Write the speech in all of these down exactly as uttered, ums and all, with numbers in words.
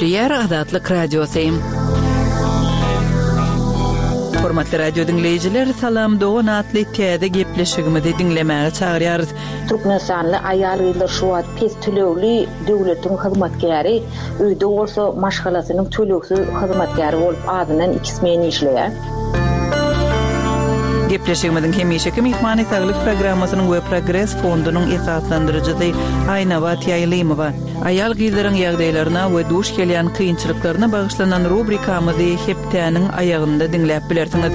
Gepleýär Azatlyk Radiosy. Hormatly radio diňleýjiler, Salam dogan atly täze gepleşigimizi diňlemäge çagyrýarys. Türkmenistanly aýal-gyzlar şu wagt pes tölegli döwletiň hyzmatkäri, öýde bolsa maşgalasynyň tölegsiz hyzmatkäri bolup azyndan iki smen işleýär. Gepleşigimiziň hemişeki myhmany Saglyk programmasynyň we Progres fondunyň esaslandyryjysy Aýnabat Ýaýlymowa. Aýal-gyzlaryň ýagdaýlaryna we duş gelýän kynçylyklaryna bagyşlanan rubrikamyzy hepdäniň aýagynda diňläp bilersiňiz.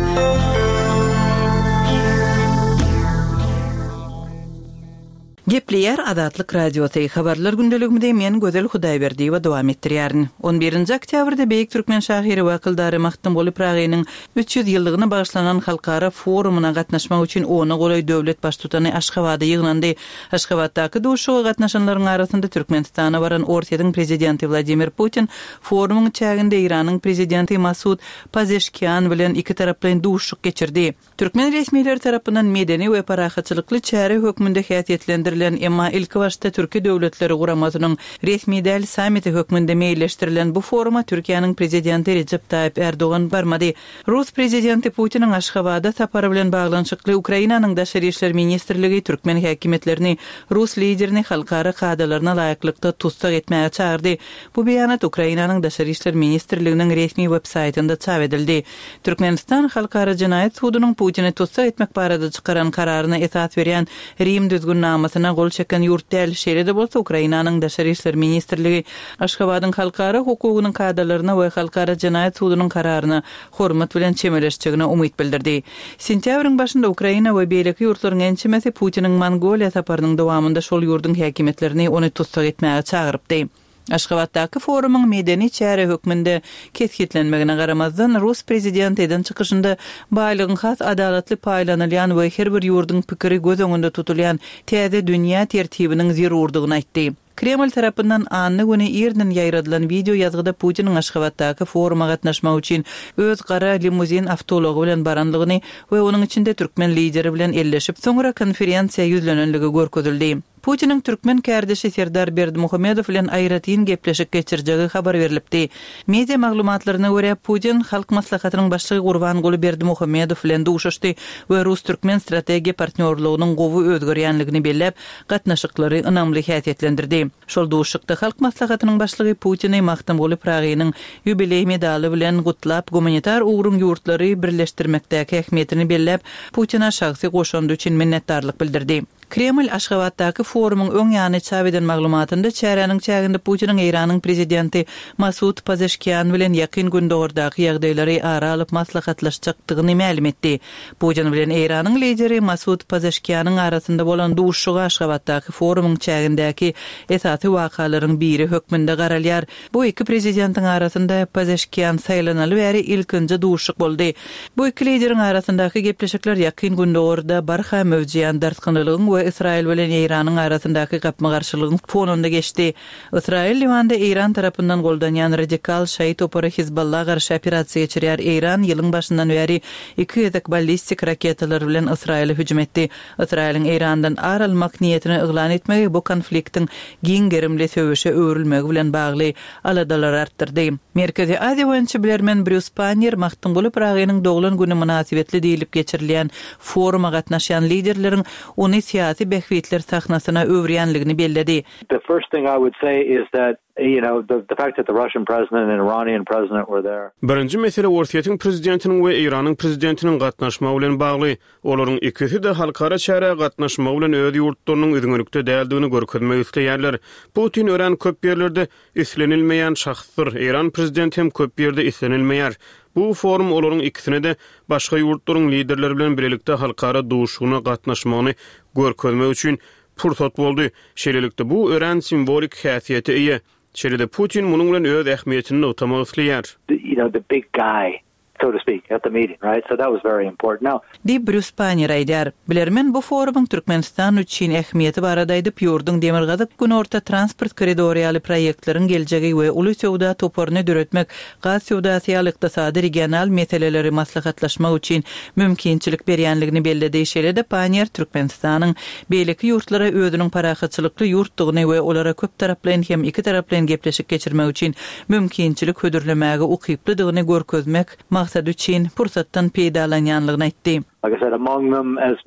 Gepleýär Azatlyk Radiosy. Habarlar gündeligimizi men Gözel Hudaýberdiýewa dowam etdirýärin. On birinji oktýabrda beýik türkmen şahyry we akyldary Magtymguly Pyragynyň üç ýüz ýyllygyna bagyşlanan halkara forumyna gatnaşmak üçin ona golaý döwlet baştutany Aşgabada ýygnandy. Aşgabatdaky duşuşyga gatnaşanlaryň arasynda Türkmenistana baran Orsýetiň prezidenti Wladimir Putin forumyň çäginde Eýranyň prezidenti Masud Pazeşkian bilen ikitaraplaýyn duşuşyk geçirdi. Türkmen resmileri tarapyndan medeni we parahatçylykly çäre hökmünde häsiýetlendirilen, emma ilkibaşda Türki Döwletleri Guramasynyň resmi däl sammiti hökmünde meýilleşdirilen bu foruma Türkiýäniň prezidenti Rejep Taýyp Ärdogan barmady. Rus prezidenti Putiniň Aşgabada sapary bilen baglanyşykly Ukrainanyň Daşary işler ministrligi türkmen häkimiýetlerini rus liderini halkara kadalaryna laýyklykda tussag etmäge çagyrdy. Bu beýanat Ukrainanyň Daşary işler ministrliginiň resmi web-saýtynda çap edildi. Türkmenistan Halkara jenaýat sudunyň Putini tussag etmek barada çykaran kararyna esas berýän Rim düzgünnamasyna gol çeken ýurt däl. Şeýle-de bolsa, Ukrainanyň Daşary işler ministrligi Aşgabadyň halkara hukugynyň kadalaryna we Halkara jenaýat sudunyň kararyna hormat bilen çemeleşjegine umyt bildirdi. Sentýabryň başynda Ukraina we beýleki ýurtlaryň ençemesi Putiniň Mongoliýa saparynyň dowamynda şol ýurduň häkimiýetlerini ony tussag etmäge çagyrypdy. Aşgabatdaky forumyň medeni çäre hökmünde kesgitlenmegine garamazdan, rus prezidenti eden çykyşynda baýlygyň has adalatly paýlanylýan we her bir ýurduň pikiri göz öňünde tutulýan täze dünýä tertibiniň zerurdygyny aýtdy. Kreml tarapyndan anna güni irden ýaýradylan wideo ýazgyda Putiniň Aşgabatdaky foruma gatnaşmak üçin öz gara limuzin awtoulagy bilen baranlygyny we onuň içinde türkmen lideri bilen elleşip, soňra konferensiýa ýüzlenenligi görkezildi. Putiniň türkmen kärdeşi Serdar Berdimuhamedow bilen aýratyn gepleşik geçirjegi habar berlipdi. Media maglumatlaryna görä, Putin Halk Maslahatynyň Başlygy Gurbanguly Berdimuhamedow bilen duşuşdy we rus-türkmen strategiýa partnýorlygynyň gowy özgerýänligini belläp, gatnaşyklary ynamly häsiýetlendirdi. Şol duşuşykda Halk Maslahatynyň Başlygy Putini Magtymguly Pyragynyň ýubileý medaly bilen gutlap, gumanitar ugruň ýurtlary birleşdirmekdäki ähmiýetini belläp, Putine şahsy goşandy üçin minnetdarlyk bildirdi. Kreml Aşgabatdaky forumyň öň ýany çap eden maglumatynda çäräniň çäginde Putiniň Eýranyň prezidenti Masud Pazeşkian bilen Ýakyn Gündogardaky ýagdaýlary ara alyp maslahatlaşjakdygyny mälim etdi. Putin bilen Eýranyň lideri Masud Pazeşkianyň arasynda bolan duşuşyga Aşgabatdaky forumyň çägindäki esasy wakalaryň biri hökmünde garalýar. Bu iki prezidentiň arasynda Pazeşkian saýlanaly bäri ilkinji duşuşyk boldy. Bu iki lideriň arasyndaky gepleşikler Ýakyn Gündogarda barha möwjeýän dartgynlylygyň we Ysraýyl bilen Eýranyň arasyndaky gapma-garşylygyň fonunda geçdi. Ysraýyl Liwanda Eýran tarapyndan goldanýan radikal şaýy topary Hizballa garşy operasiýa geçirýär. Eýran ýylyň başyndan bäri iki gezek ballistik raketalar bilen Ysraýyla hüjüm etdi. Ysraýylyň Eýrandan ar almak niýetini yglan etmegi bu konfliktiň giň gerimli söweşe öwrülmegi bilen bagly aladalary artdyrdy. Merkezi Aziýa boýunça bilermen Brýus Pannier Magtymguly Pyragynyň doglan güni mynasybetli diýlip geçirilýän foruma gatnaşýan liderleriň ony syýasy bähbitler sahnasyna öwürýänligini belledi. The first thing I would say is that, you know, the, the fact that the Russian president and Iranian president were there. Birinji mesele Orsýetiň prezidentiniň we Eýranyň prezidentiniň gatnaşmagy bilen bagly. Olaryň ikisi-de halkara çärä gatnaşmagy bilen öz ýurtlarynyň üzňelikde däldigini görkezmek isleýärler. Putin örän köp ýerlerde islenilmeýän şahsdyr. Eýran prezidenti hem köp ýerde islenilmeýär. Bu forum olaryň ikisine-de başga ýurtlaryň liderleri bilen bilelikde halkara duşuşygyna gatnaşmagyny görkezmek üçin pursat boldy. Şeýlelikde, bu örän simwolik häsiýete eýe. Şeýle-de Putin munuň bilen öz ähmiýetini nygtamak isleýär. You know, the big guy so to speak, at the meeting, right? So that was very important. Now, Diýip, Brýus Panniýer aýdýar. Bilermen bu forumyň Türkmenistan üçin ähmiýeti barada aýdyp, ýurduň Demirgazyk-Günorta transport koridory ýaly proýektleriň geljegi we uly söwda toparyny döretmek, gaz söwdasy ýaly ykdysady regional meseleleri maslahatlaşmak üçin mümkinçilik berýänligini belledi. Şeýle-de Panniýer Türkmenistanyň beýleki ýurtlara özüniň parahatçylykly ýurtdugyny we olara köptaraplaýyn hem ikitaraplaýyn gepleşik geçirmek üçin mümkinçilik hödürlemäge ukyplydygyny görkezmek maksady üçin pursatdan peýdalanýanlygyny aýtdy. Like I said, among them as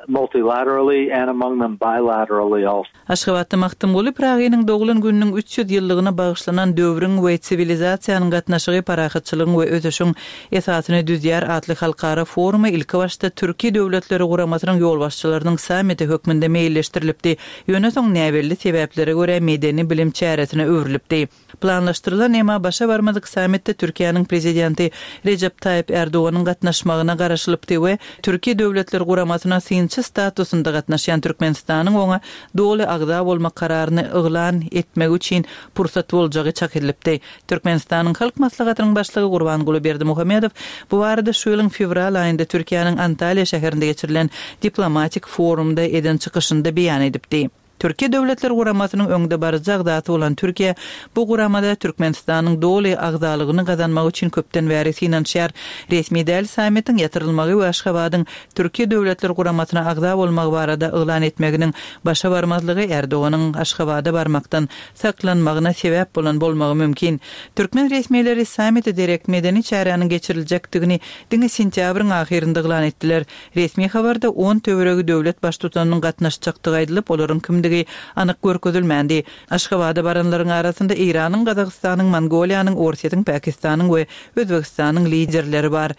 multilaterally and among them bilaterally also. Aşgabatda Magtymguly Pyragynyň doglan gününiň üç ýüz ýyllygyna bagyşlanan Döwrüň we siwilizasiýanyň gatnaşygy parahatçylygyň we ösüşiň esasyny düzýär atly halkara forumy ilkibaşda Türki Döwletleri Guramasynyň ýolbaşçylarynyň sammiti hökmünde meýilleşdirilipdi, ýöne soň näbelli sebäplere görä medeni-bilim çäresine öwrülipdi. Planlaşdyrylan emma başa barmadyk sammitde Türkiýäniň Prezidenti Rejep Taýyp Ärdoganyň gatnaşmagyna garaşylypdy we Türki Döwletler Guramasyna synçy statusynda gatnaşýan Türkmenistanyň oňa doly agza bolmak kararyny yglan etmegi üçin pursat boljagy çak edilipdi. Türkmenistanyň Halk Maslahatynyň Başlygy Gurbanguly Berdimuhamedow bu barada şu ýylyň fewral aýynda Türkiýäniň Antalýa şäherinde geçirilen diplomatik forumda eden çykyşynda beýan edipdi. Türki Döwletler Guramasynyň öňdebaryjy agzasy bolan Türkiýe bu guramada Türkmenistanyň doly agzalygyny gazanmak üçin köpden bäri synanyşýar. Resmi däl sammitiň ýatyrylmagy we Aşgabadyň Türki Döwletler Guramasyna agza bolmagy barada yglan etmeginiň başa barmazlygy Erdoganyň Aşgabada barmakdan saklanmagyna sebäp bolan bolmagy mümkin. Türkmen resmileri sammite derek medeni çäräniň geçiriljekdigini diňe sentýabryň ahyrynda yglan etdiler. Resmi habarda on töweregi döwlet baştutanynyň gatnaşjakdygy aýdylyp, olaryň kimdigi anyk görkezilmändi. Aşgabada baranlaryň arasynda Eýranyň, Gazagystanyň, Mongoliýanyň, Orsýetiň, Pakistanyň we Özbegistanyň liderleri bar.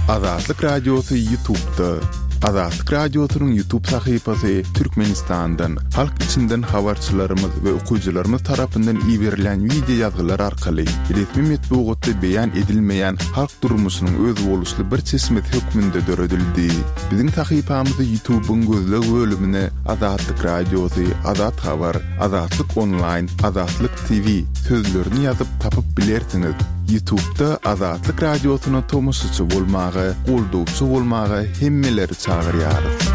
Azatlyk Radiosy YouTube'da. Azatlyk Radiosynyň YouTube sahypasy Türkmenistandan, halk içinden habarçylarymyz we okyjylarymyz tarapyndan iberilen wideo ýazgylar arkaly resmi metbugatda beýan edilmeýän halk durmuşynyň özboluşly bir çeşmesi hökmünde döredildi. Biziň sahypamyzy YouTube'yň gözleg bölümine Azatlyk Radiosy, Azat Habar, Azatlyk Online, Azatlyk T V sözlerini ýazyp tapyp bilersiňiz. YouTube'da Azatlyk Radiosyna tomaşaçy bolmaga, goldawçy bolmaga hemmeleri çagyrýarys.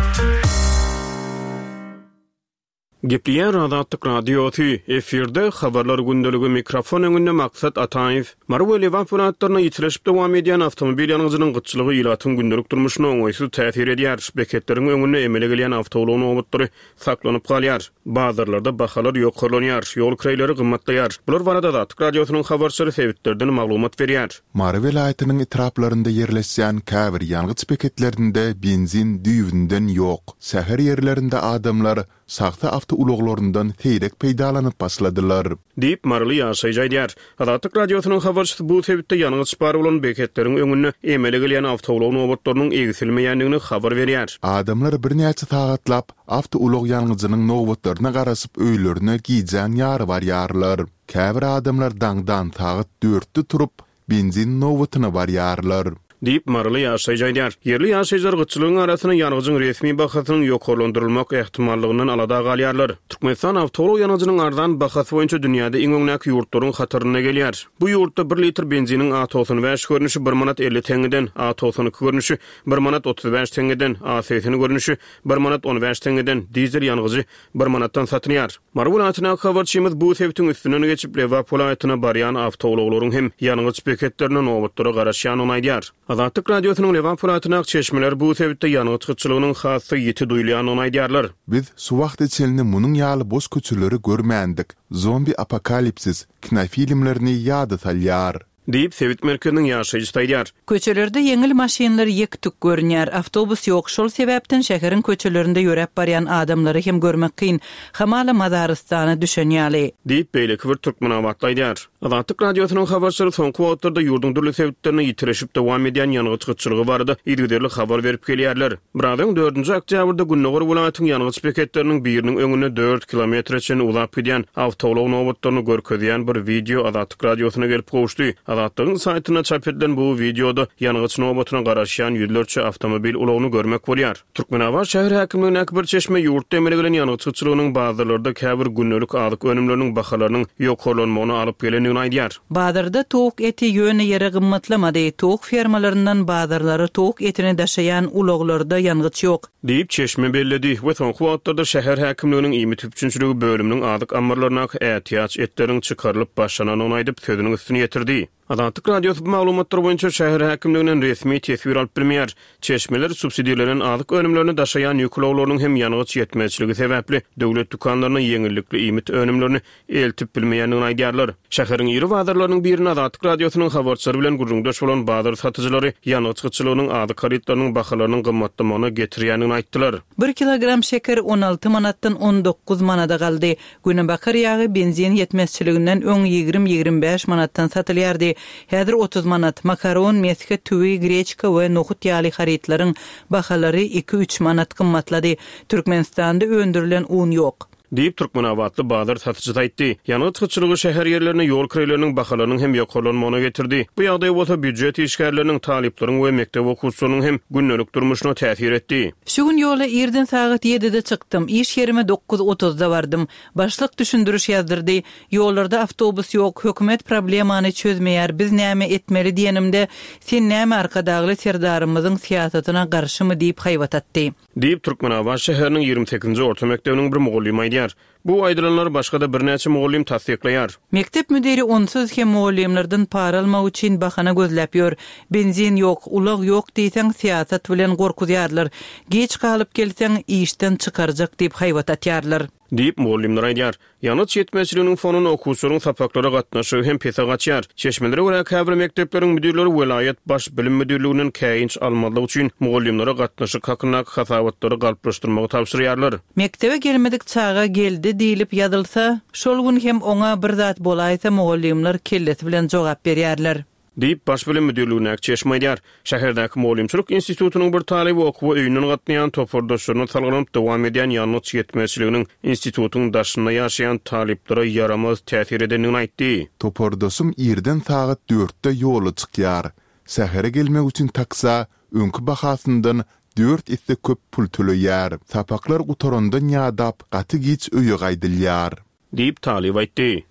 Gepleýär Azatlyk Radiosy, efirde habarlar gündeligi mikrofon öňünde Maksat Ataýew. Mary we Lebap welaýatlarynda ýitileşip dowam edýän awtomobil ýangyjynyň gytçylygy ilatyň gündelik durmuşyna oňaýsyz täsir edýär. Beketleriň öňünde emele gelýän awtoulag nobatlary saklanyp galýar. Bazarlarda bahalar ýokarlanýar, ýol kireýleri gymmatlaýar. Bular barada Azatlyk Radiosynyň habarçylary sebitlerden maglumat berýär. Mary welaýatynyň etraplarynda ýerleşýän käbir ýangyç beketlerinde benzin düýbünden ýok. Şäher ýerlerinde adamlar şahsy awtoulaglaryndan seýrek peýdalanyp başladylar. Diýip, maryly ýaşaýjy aýdýar. Azatlyk Radiosynyň habarçysy bu sebitde ýangyç bar bolan beketleriň öňünde emele gelýän awtoulag nobatlarynyň egsilmeýändigini habar berýär. Adamlar birnäçe sagatlap awtoulag ýangyjynyň nobatlaryna garaşyp öýlerine gijäň ýary barýarlar. Käbir adamlar daňdan sagat dörtde turup, benzin nobatyna barýarlar. Diýip, maryly ýaşaýjy aýdýar. Ýerli ýaşaýjylar gytçylygyň arasynda ýangyjyň resmi bahasynyň ýokarlandyrylmak ähtimallygyndan alada galýarlar. Türkmenistan awtoulag ýangyjynyň arzan bahasy boýunça dünýäde iň öňdäki ýurtlaryň hatarynda gelýär. Bu ýurtda bir litr benziniň A togsan bäş görnüşi bir manat elli teňňeden, A togsan iki görnüşi bir manat otuz bäş teňňeden, A segsen görnüşi bir manat on bäş teňňeden, dizel ýangyjy bir manatdan satylýar. Mary welaýatyndaky habarçymyz bu sebitiň üstünden geçip, Lebap welaýatyna barýan awtoulaglaryň hem ýangyç beketlerine nobatlara garaşýandygyny aýdýar. Azatlyk Radiosynyň Lebap welaýatyndaky çeşmeler bu sebitde ýangyç gytçylygynyň has-da ýiti duýulýandygyny aýdýarlar. Biz şu wagta çenli munuň ýaly boş köçeleri görmändik. Zombi apokalipsis kinofilmlerini ýada salýar. Diýip, sebit merkeziniň ýaşaýjysy aýdýar. Köçelerde ýeňil maşynlar ýek-tük görünýär. Awtobus ýok, şol sebäpden şäheriň köçelerinde ýöräp barýan adamlary hem görmek kyn. Hamala mazarystana düşen ýaly. Diýip, beýleki bir türkmenabatly aýdýar. Azatlyk Radiosynyň habarçylary soňky wagtlarda ýurduň dürli sebitlerinde ýitileşip dowam edýän ýangyç gytçylygy barada yzygiderli habar berip gelýärler. Biraz öň dördünji oktýabrda Gündogar welaýatyň ýangyç beketleriniň biriniň öňünde dört kilometre çenli uzap gidýän awtoulag nobatlaryny görkezýän bir wideo Azatlyk Radiosyna gelip gowuşdy. Azatlygyň saýtynda çap edilen bu wideoda ýangyç nobatyna garaşýan ýüzlerçe awtomobil ulagyny görmek bolýar. Türkmenabat şäher häkimligindäki bir çeşme ýurtda emele gelen ýangyç gytçylygynyň bazarlarda käbir gündelik azyk önümleriniň bahalarynyň ýokarlanmagyna alyp gelendigini geçendigini aýdýar. Bazarda towuk eti ýöne ýere gymmatlamady. Towuk fermalaryndan bazarlara towuk etini daşaýan ulaglarda ýangyç ýok. Diýip, çeşme belledi we soňky wagtlarda şäher häkimliginiň iýmit üpjünçiligi bölüminiň azyk ammarlaryndaky ätiýaç etleriň çykarylyp başlanandygyny aýdyp, sözüniň üstüni ýetirdi. Azatlyk Radiosy bu maglumatlar boýunça şäher häkimliginden resmi teswir alyp bilmeýär. Çeşmeler subsidirlenen azyk önümlerini daşaýan ýük ulaglarynyň hem ýangyç ýetmezçiligi sebäpli döwlet dükanlaryna ýeňillikli iýmit önümlerini eltip bilmeýändigini aýdýarlar. Şäheriň iri bazarlarynyň birinde Azatlyk Radiosynyň habarçylary bilen gürrüňdeş bolan bazar satyjylary ýangyç gytçylygynyň azyk harytlarynyň bahalarynyň gymmatlamagyna getirýändigini aýtdylar. Bir kilogram şeker on alty manatdan on dokuz manada galdy. Günebakar ýagy benzin ýetmezçiliginden öň ýigrimi-ýigrimi bäş manatdan satylýardy. Häzir otuz manat. Makaron, mesge, tüwi, greçka we nohut ýaly harytlaryň bahalary iki-üç manat gymmatlady. Türkmenistanda öndürilen un ýok. Diýip, türkmenabatly bazar satyjysy aýtdy. Ýangyç gytçylygy şäher ýerlerinde ýol kireýleriniň bahalarynyň hem ýokarlanmagyna getirdi. Bu ýagdaý bolsa býujet işgärleriniň, talyplaryň we mekdep okuwçylarynyň hem gündelik durmuşyna täsir etdi. Şu gün ýola irden sagat ýedide çykdym. Iş ýerime dokuz otuzda bardym. Başlyk düşündiriş ýazdyrdy. Ýollarda awtobus ýok, hökümet problemany çözmeýär, biz näme etmeli diýenimde, sen näme Arkadagly Serdarymyzyň syýasatyna garşymy diýip haýbat atdy. Diýip, Türkmenabat şäheriniň ýigrimi sekizinji orta mekdebiniň bir mugallymy aýdýar. Bu aýdylanlary başga-da birnäçe mugallym tassyklaýar. Mekdep müdiri onsuz hem mugallymlardan para almak üçin bahana gözläp ýör. Benzin ýok, ulag ýok diýseň syýasat bilen gorkuzýarlar. Geç galyp gelseň işden çykarjak diýip haýbat atýarlar. Diýip, mugallymlar aýdýar. Ýangyç ýetmezçiliginiň fonunda okuwçylaryň sapaklara gatnaşygy hem pese gaçýar. Çeşmelere görä käbir mekdepleriň müdirleri welaýat baş bilim müdirliginden käýinç almazlyk üçin mugallymlara gatnaşyk hakyndaky hasabatlary galplaşdyrmagy tabşyrýarlar. Mekdebe gelmedik çaga geldi diýlip ýazylsa, şol gün hem oňa bir zat bolaýsa mugallymlar kellesi bilen jogap berýärler. Diýip, baş bilim müdirligindäki çeşme aýdýar. Şäherdäki mugallymçylyk institutynyň bir talyby okuwa öýünden gatnaýan topardaşlaryna salgylanyp dowam edýän ýangyç ýetmezçiliginiň institutyň daşynda ýaşaýan talyplara ýaramaz täsir edendigini aýtdy. Topardaşym irden sagat dörtde ýola çykýar. Şähere gelmek üçin taksa öňki bahasyndan dört esse köp pul töleýär. Sapaklar gutarandan ýadap gaty giç öýe gaýdylýar. Diýip, talyp aýtdy.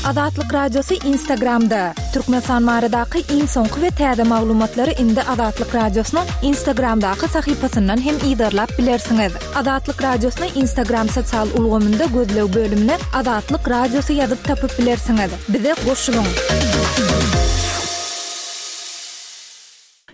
Azatlyk Radiosy Instagramda. Türkmenistan baradaky iň soňky we täze maglumatlary indi Azatlyk Radiosynyň Instagramdaky sahypasyndan hem yzarlap bilersiňiz. Azatlyk Radiosyny Instagram sosial ulgamynda gözleg bölümine Azatlyk Radiosy ýazyp tapyp bilersiňiz. Bize goşulyň.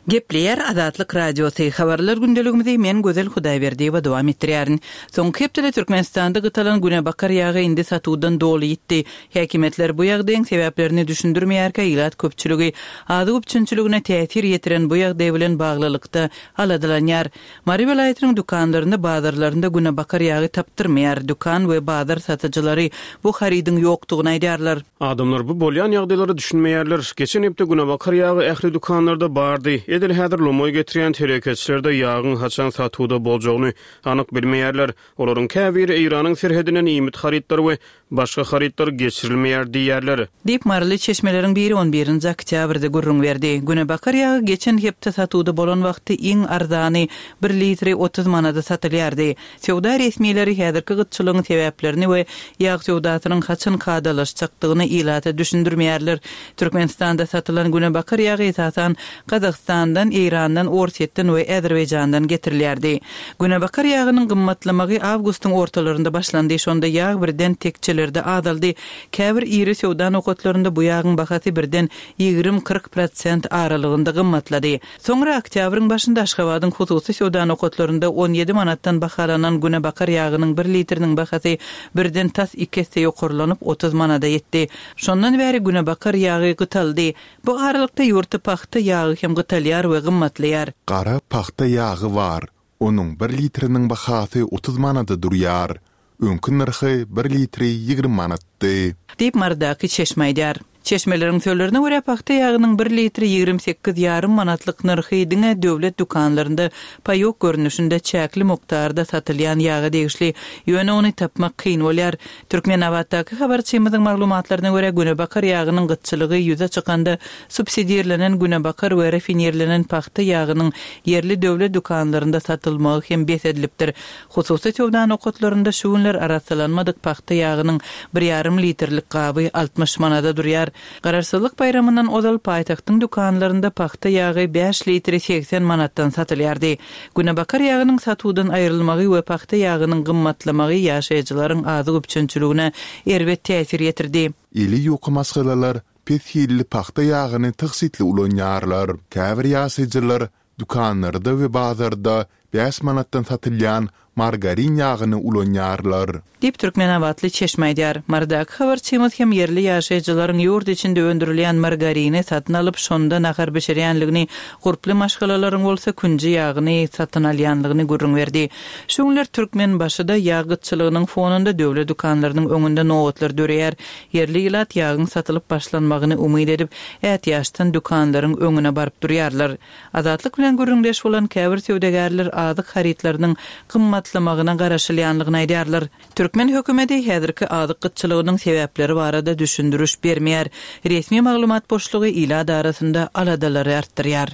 Gepleýär Azatlyk Radiosy. Habarlar gündeligimizi men Gözel Hudaýberdiýewa dowam etdirýärin. Soňky hepdede Türkmenistanda gytalan günebakar ýagy indi satuwdan doly ýitdi. Häkimiýetler bu ýagdaýyň sebäplerini düşündirmeýärkä ilat köpçüligi azyk üpjünçiligine täsir ýetiren bu ýagdaý bilen baglylykda aladalanýar. Mary welaýatynyň dükanlarynda, bazarlarynda günebakar ýagy tapdyrmaýar. Dükan we bazar satyjylary bu harydyň ýokdugyny aýdýarlar. Adamlar bu bolýan ýagdaýlara düşünmeýärler. Geçen hepde günebakar ýagy ähli dükanlarda bardy. Edil häzir lomaý getirýän telekeçiler de ýagyň haçan satuwda boljagyny anyk bilmeýärler. Olaryň käbiri Eýranyň serhedinden iýmit harytlary we başga harytlar geçirilmeýär diýýärler. Diýip, Maryly çeşmeleriň biri on birinji oktýabrda gürrüň berdi. Günebakar ýagy geçen hepde satuwda bolan wagty iň arzany bir litri otuz manada satylýardy. Söwda resmileri häzirki gytçylygyň sebäplerini we ýag söwdasynyň haçan kadalaşjakdygyny ilata düşündirmeýärler. Türkmenistanda satylan günebakar ýagy esasan Gazagystandan, Eýrandan, Orsýetden we Azerbaýjandan getirilýärdi. Günebakar ýagynyň gymmatlamagy awgustyň ortalarynda başlandy. Şonda ýag birden tekçelerde azaldy. Käbir iri söwda nokatlarynda bu ýagyň bahasy birden ýigrimi-kyrk prosent aralygynda gymmatlady. Soňra oktýabryň başynda Aşgabadyň hususy söwda nokatlarynda on ýedi manatdan bahalanan günebakar ýagynyň bir litriniň bahasy birden tas iki esse ýokarlanyp otuz manada ýetdi. Şondan bäri günebakar ýagy gytaldy. Bu aralykda ýurtda pagta ýagy hem gytalýar we gymmatlaýar. Gara pagta ýagy bar. Onuň bir litriniň bahasy otuz manada durýar. Öňki nyrhy bir litri ýigrimi manatdy. Diýip, Marydaky çeşme aýdýar. Çeşmeleriň sözlerine görä, pagta ýagynyň bir litri ýigrimi sekiz ýarym manatlyk nyrhy diňe döwlet dükanlarynda paýok görnüşinde çäkli mukdarda satylýan ýaga degişli, ýöne ony tapmak kyn bolýar. Türkmenabatdaky habarçymyzyň maglumatlaryna görä, günebakar ýagynyň gytçylygy ýüze çykanda subsidirlenen günebakar we rafinirlenen pagta ýagynyň ýerli döwlet dükanlarynda satylmagy hem bes edilipdir. Hususy söwda nokatlarynda şu günler arassalanmadyk pagta ýagynyň bir ýarym litrlik gaby altmyş manada durýar. Garaşsyzlyk baýramyndan ozal paýtagtyň dükanlarynda pagta ýagy bäş litri segsen manatdan satylýardy. Günebakar ýagynyň satuwdan aýrylmagy we pagta ýagynyň gymmatlamagy ýaşaýjylaryň azyk üpjünçiligine erbet täsir ýetirdi. Eli ýuka maşgalalar pes hilli pagta ýagyny tygşytly ulanýarlar. Käbir ýaşaýjylar dükanlarda we bazarda bäş manatdan satylýan margarin ýagyny ulanýarlar. Diýip, türkmenabatly çeşme aýdýar. Marydaky habarçymyz hem ýerli ýaşaýjylaryň ýurt içinde öndürilýän margarini satyn alyp, şonda nahar bişirýänligini, gurply maşgalalaryň bolsa künji ýagyny satyn alýanlygyny gürrüň berdi. Şu günler Türkmenbaşyda ýag gytçylygynyň fonunda döwlet dükanlarynyň öňünde nobatlar döreýär. Ýerli ilat ýagyň satylyp başlanmagyny umyt edip, ätiýaçdan dükanlaryň öňüne baryp durýarlar. Azatlyk bilen gürrüňdeş bolan käbir söwdagärler azyk harytlarynyň gymmatlamagyna garaşylýanlygyny aýdýarlar. Türkmen hökümeti häzirki azyk gytçylygynyň sebäpleri barada düşündiriş bermeýär. Resmi maglumat boşlugy ilat arasynda aladalary artdyrýar.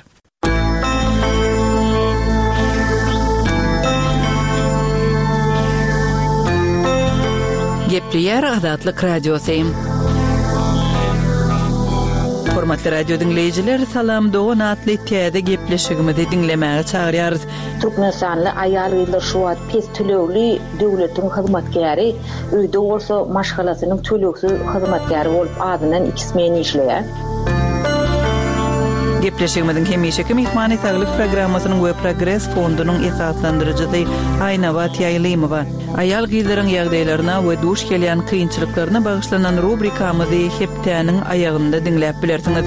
Gepleýär Azatlyk Radiosy. Hormatly radio diňleýjiler, Salam Dogan atly täze gepleşigimizi diňlemäge çagyrýarys. Türkmenistanly aýal-gyzlar şu wagt pes tölegli döwletiň hyzmatkäri, öýde bolsa maşgalasynyň tölegsiz hyzmatkäri bolup azyndan iki smen işleýär. Gepleşigimiziň hemişeki myhmany Saglyk programmasynyň we Progres fondunyň esaslandyryjysy Aýnabat Ýaýlymowa. Aýal-gyzlaryň ýagdaýlaryna we duş gelýän kynçylyklaryna bagyşlanan rubrikamyzy hepdäniň aýagynda diňläp bilersiňiz.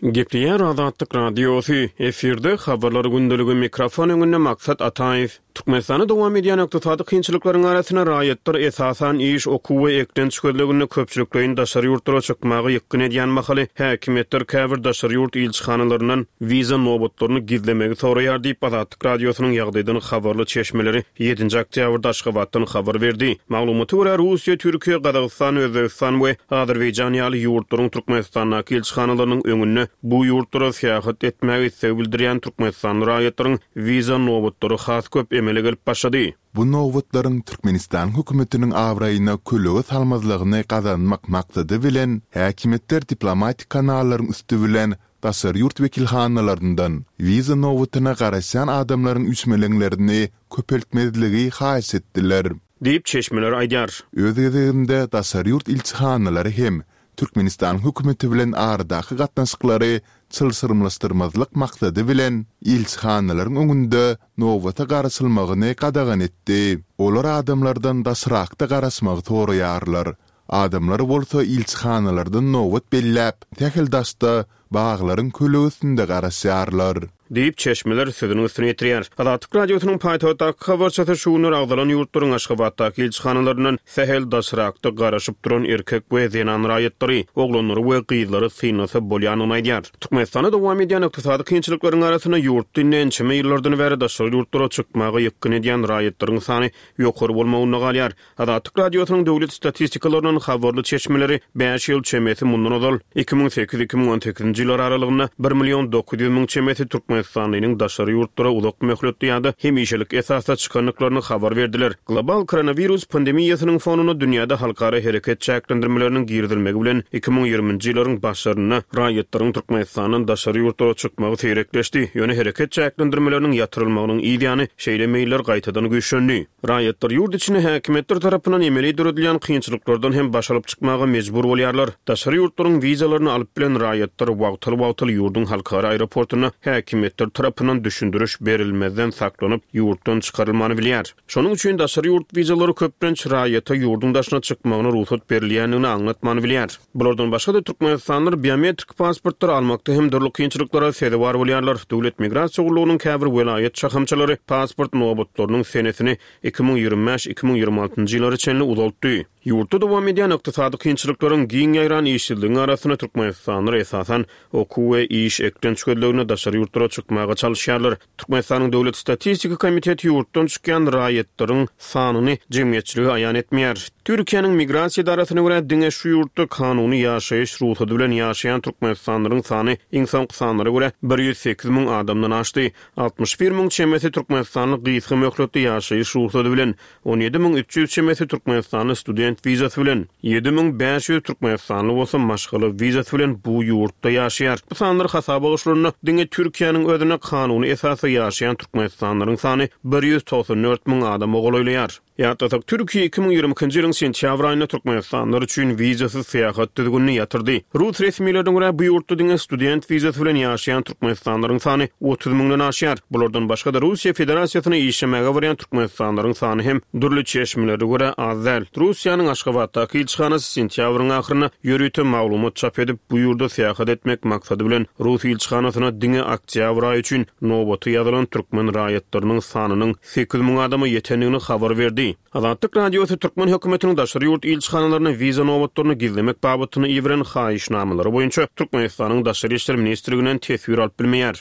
Gepleýär Azatlyk Radiosy, efirde habarlar gündeligi, mikrofon öňünde Maksat Ataýew. Türkmenistanda dowam edýän ykdysady kynçylyklaryň arasynda raýatlar esasan iş, okuw we eklenç gözleginde köpçülikleýin daşary ýurtlara çykmaga ýykgyn edýän mahaly häkimiýetler käbir daşary ýurt ilçihanalaryndan wiza nobatlaryny gizlemegi soraýar diýip Azatlyk Radiosynyň ýagdaýdan habarly çeşmeleri ýedinji oktýabrda Aşgabatdan habar berdi. Maglumata görä, Russiýa, Türkiýe, Gazagystan, Özbegistan we Azerbaýjan ýaly ýurtlaryň Türkmenistandaky ilçihanalarynyň öňünde bu ýurtlara syýahat etmäge isleg bildirýän türkmenistanly raýatlaryň wiza nobatlary has köp emele gelip başlady. Bu nobatlaryň Türkmenistan hökümetiniň abraýyna kölege salmazlygyny gazanmak maksady bilen häkimiýetler diplomatik kanallaryň üsti bilen daşary ýurt wekilhanalaryndan wiza nobatyna garaşýan adamlaryň üýşmeleňlerini köpeltmezligi haýyş etdiler. Diýip çeşmeler aýdýar. Öz gezeginde daşary ýurt ilçihanalary hem Türkmenistan hökümeti bilen aradaky gatnaşyklary çylşyrymlaşdyrmazlyk maksady bilen ilçihanalaryň öňünde nobata garaşylmagyny gadagan etdi. Olar adamlardan daşrakda garaşmagy soraýarlar. Adamlar bolsa ilçihanalardan nobat belläp, sähel daşda baglaryň kölegesinde garaşýarlar. Diýip çeşmeler sözüniň üstüne ýetirýär. Azatlyk Radiosynyň paýtagtdaky habarçysy şu günler agzalan ýurtlaryň Aşgabatdaky ilçihanalaryndan sähel daşrakda garaşyp duran erkek we zenan raýatlary, oglanlary we gyzlary synlasa bolýandygyny aýdýar. Türkmenistanda dowam edýän ykdysady kynçylyklaryň arasynda ýurtda indi ençeme ýyllardan bäri daşary ýurtlara çykmaga ýykgyn edýän raýatlaryň sany ýokary bolmagynda galýar. Azatlyk Radiosynyň döwlet statistikalaryndan habarly çeşmeleri bäş ýyl çemesi mundan ozal iki müň sekiz iki müň on sekizinji ýyllar aralygynda bir million dokuz ýüz müň çemesi türkmenistanlynyň daşary ýurtlara uzak möhletli ýa-da hemişelik esasda çykandyklaryny habar berdiler. Global koronawirus pandemiýasynyň fonunda dünýäde halkara hereket çäklendirmeleriniň girizilmegi bilen iki müň ýigriminji ýyllaryň başlarynda raýatlaryň Türkmenistandan daşary ýurtlara çykmagy seýrekleşdi. Ýöne hereket çäklendirmeleriniň ýatyrylmagynyň yz ýany şeýle meýiller gaýtadan güýçlendi. Raýatlar ýurt içinde häkimiýetler tarapyndan emeli döredilýän kynçylyklardan hem baş alyp çykmaga mejbur bolýarlar. Daşary ýurtlaryň wizalaryny alyp bilen raýatlar wagtal-wagtal ýurduň halkara aeroportunda häkimiýetler häkimiýetler tarapyndan düşündiriş berilmezden saklanyp, ýurtdan çykarylmany bilýär. Şonuň üçin daşary ýurt wizalary köplenç raýata ýurduň daşyna çykmagyna rugsat berilýändigini aňlatmany bilýär. Bulardan başga-da türkmenistanlylar biometrik pasportlary almakda hem dürli kynçylyklara sezewar bolýarlar. Döwlet migrasiýa gullugynyň käbir welaýat şahamçalary pasport nobatlarynyň senesini iki müň ýigrimi bäş iki müň ýigrimi altynjy ýyllara çenli uzaltdy. Ýurtda dowam edýän ykdysady kynçylyklaryň, giň ýaýran işsizligiň arasynda türkmenistanlylar esasan okuw we iş eklenç gözlegine daşary ýurtlara çykmaga çalyşýarlar. Türkmenistanyň Döwlet statistika komiteti ýurtdan çykýan raýatlaryň sanyny jemgyýetçilige aýan etmeýär. Türkiýäniň migrasiýa edarasyna görä diňe şu ýurtda kanuny ýaşaýyş rugsady bilen ýaşaýan türkmenistanlylaryň sany iň soňky sanlara görä bir ýüz sekiz müň adamdan aşdy. Altmyş bir müň çemesi türkmenistanly gysga möhletli ýaşaýyş rugsady bilen, on ýedi müň üç ýüz çemesi türkmenistanly student wizasy bilen, ýedi müň bäş ýüz türkmenistanly bolsa maşgala wizasy bilen bu ýurtda ýaşaýar. Bu sanlar hasaba goşulanda diňe Türkiýäniň özünde kanuny esasda ýaşaýan türkmenistanlylaryň sany bir ýüz togsan dört müň adama golaýlaýar. Ýatlasak, Türkiýe iki müň ýigrimi ikinji ýylyň sentýabr aýynda türkmenistanlylar üçin wizasyz syýahat düzgünini ýatyrdy. Rus resmilerine görä bu ýurtda diňe student wizasy bilen ýaşaýan türkmenistanlylaryň sany otuz müňden aşýar. Bulardan başga-da Russiýa Federasiýasyna işlemäge barýan türkmenistanlylaryň sany hem dürli çeşmelere görä az däl. Russiýanyň Aşgabatdaky ilçihanasy sentýabryň ahyrynda ýörite maglumat çap edip, bu ýurda syýahat etmek maksady bilen Rus ilçihanasyna diňe oktýabr aýy üçin nobaty ýazylan türkmen raýatlarynyň sanynyň sekiz müň adama ýetendigini habar berdi. Azatlyk Radiosy türkmen hökümetiniň daşary ýurt ilçihanalaryna wiza nobatlaryny gizlemek babatynda iberen haýyşnamalary boýunça Türkmenistanyň Daşary işler ministrliginden teswir alyp bilmeýär.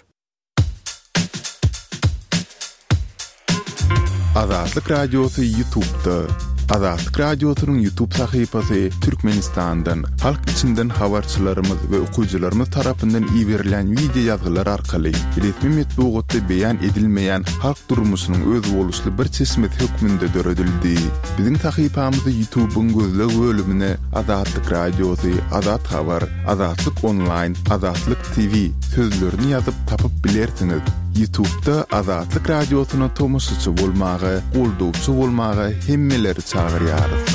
Azatlyk Radiosy YouTube'da. Azatlyk Radiosynyň YouTube sahypasy Türkmenistandan, halk içinden habarçylarymyz we okyjylarymyz tarapyndan iberilen wideo ýazgylar arkaly resmi metbugatda beýan edilmeýän halk durmuşynyň özboluşly bir çeşmesi hökmünde döredildi. Biziň sahypamyzy YouTube'yň gözleg bölümine Azatlyk Radiosy, Azat Habar, Azatlyk Online, Azatlyk T V sözlerini ýazyp tapyp bilersiňiz. YouTube'da Azatlyk Radiosyna tomaşaçy bolmaga, goldawçy bolmaga hemmeleri çagyrýarys.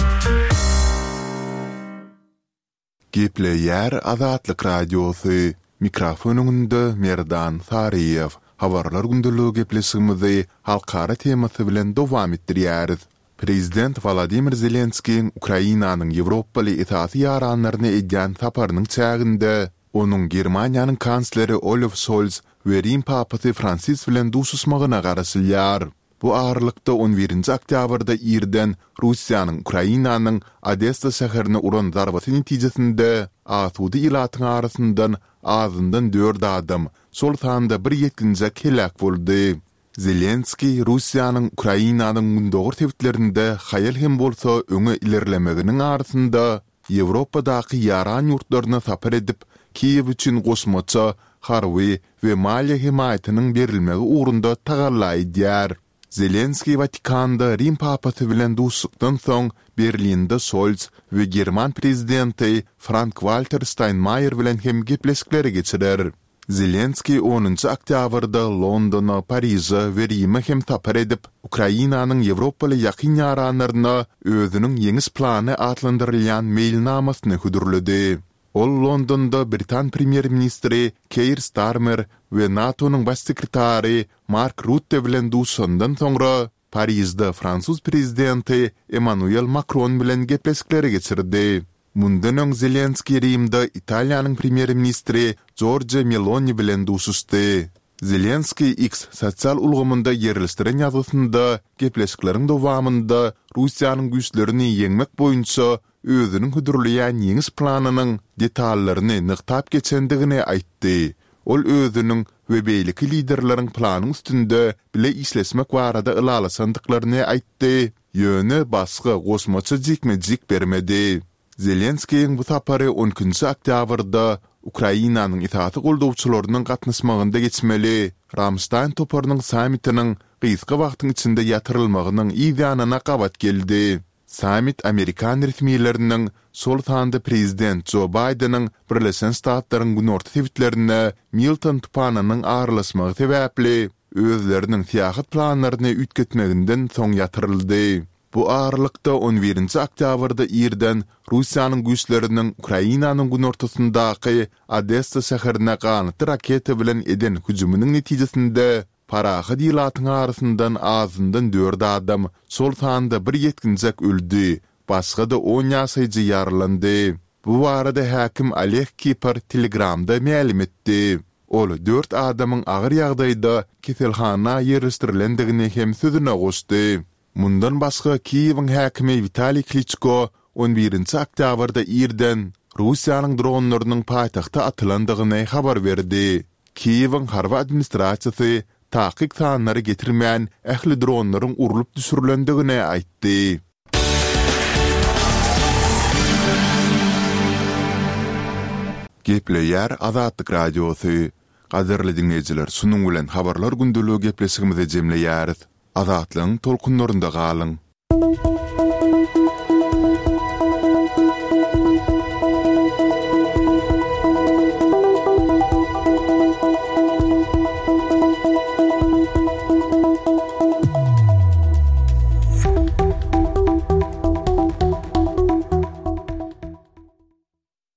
Gepleýär Azatlyk Radiosy. Mikrofon öňünde Merdan Saryýew. Habarlar gündeligi gepleşigimizi halkara temasy bilen dowam etdirýäris. Prezident Wladimir Zelenskiň Ukrainanyň Ýewropaly esasy ýaranlaryny edýän saparynyň çäginde onuň Germaniýanyň kansleri Olaf Scholz we Rim papasy Fransis bilen duşuşmagyna garaşylýar. Bu aralykda on birinji oktýabrda irden Russiýanyň Ukrainanyň Odessa şäherine uran zarbasy netijesinde asuda ilatyň arasyndan azyndan dört adam, şol sanda bir ýetginjek heläk boldy. Zelenskiý Russiýanyň Ukrainanyň gündogar sebitlerinde haýal hem bolsa öňe ilerlemeginiň arasynda Ýewropadaky ýaran ýurtlaryna sapar edip, Kiýew üçin goşmaça harby we maliýe hemaýatynyň berilmegi ugrunda tagalla edýär. Zelenskiý Watikanda Rim papasy bilen duşuşykdan soň Berlinde Scholz we German prezidenti Frank-Walter Steinmeier bilen hem gepleşikleri geçirer. Zelenskiý onunjy oktýabrda Londona, Pariže we Rime hem sapar edip, Ukrainanyň Ýewropaly ýakyn ýaranlaryna özüniň ýeňiş plany atlandyrylýan meýilnamasyny hödürledi. Ol Londonda Britan premýer-ministri Keir Starmer we NATO-nyň baş sekretary Mark Rutte bilen duşandan soňra Parijde fransuz prezidenti Emmanuel Makron bilen gepleşikleri geçirdi. Mundan öň Zelenskiý Rimde Italiýanyň premýer-ministri Giorgia Meloni bilen duşuşdy. Zelenskiý X sosial ulgamynda ýerleşdiren ýazgysynda gepleşikleriň dowamynda Russiýanyň güýçlerini ýeňmek boýunça özüniň hödürleýän ýeňiş planynyň detallaryny nygtap geçendigini aýtdy. Ol özüniň we beýleki liderleriň planyň üstünde bile işleşmek barada ylalaşandyklaryny aýtdy, ýöne başga goşmaça jikme-jik bermedi. Zelenskiýiň bu sapary on ikinji oktýabrda Ukrainanyň esasy goldawçylarynyň gatnaşmagynda geçmeli Ramstein toparynyň sammitiniň gysga wagtyň içinde ýatyrylmagynyň yz ýanyna gabat geldi. Sammit Amerikan resmileriniň, şol sanda prezident Jo Baýdeniň Birleşen Ştatlaryň günorta sebitlerine Milton tupanynyň aralaşmagy sebäpli özleriniň syýahat planlaryny üýtgetmeginden soň ýatyryldy. Bu aralykda, on birinji oktýabrda irden Russiýanyň güýçleriniň Ukrainanyň günortasyndaky Odessa şäherine ganatly raketa bilen eden hüjüminiň netijesinde parahat ilatyň arasyndan azyndan dört adam, şol sanda bir ýetginjek öldi, başga-da on ýaşaýjy ýaralandy. Bu barada häkim Oleg Kiper Telegramda mälim etdi. Ol dört adamyň agyr ýagdaýda keselhana ýerleşdirilendigini hem sözüne goşdy. Mundan başga, Kiýewiň häkimi Witaliý Kliçko on birinji oktýabrda irden Russiýanyň dronlarynyň paýtagta atylandygyny habar berdi. Kiýewiň harby administrasiýasy takyk sanlary getirmän, ähli dronlaryň urlup düşürilendigini aýtdy. Gepleýär Azatlyk Radiosy. Gadyrly diňleýjiler, şunuň bilen Habarlar gündeligi gepleşigimizi jemleýäris. Azatlygyň tolkunlarynda galyň!